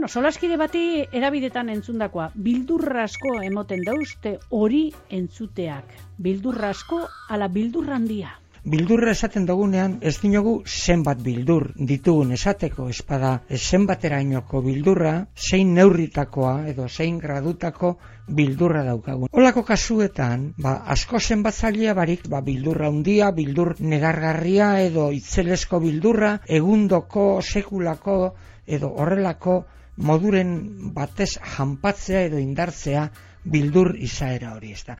solaskide bati erabidetan entzundakoa, bildurra asko emoten dauzte hori entzuteak. Bildurra asko ala bildurra handia. Bildurra esaten dugunean ez dinogu zenbat bildur ditugun esateko, espada zenbaterainoko bildurra, zein neurritakoa edo zein gradutako bildurra daukagun. Holako kasuetan, asko zenbatzailea barik, bildurra handia, bildur negargarria edo itzelesko bildurra, egundoko, sekulako edo horrelako moduren batez janpatzea edo indartzea bildur izaera hori, ezta.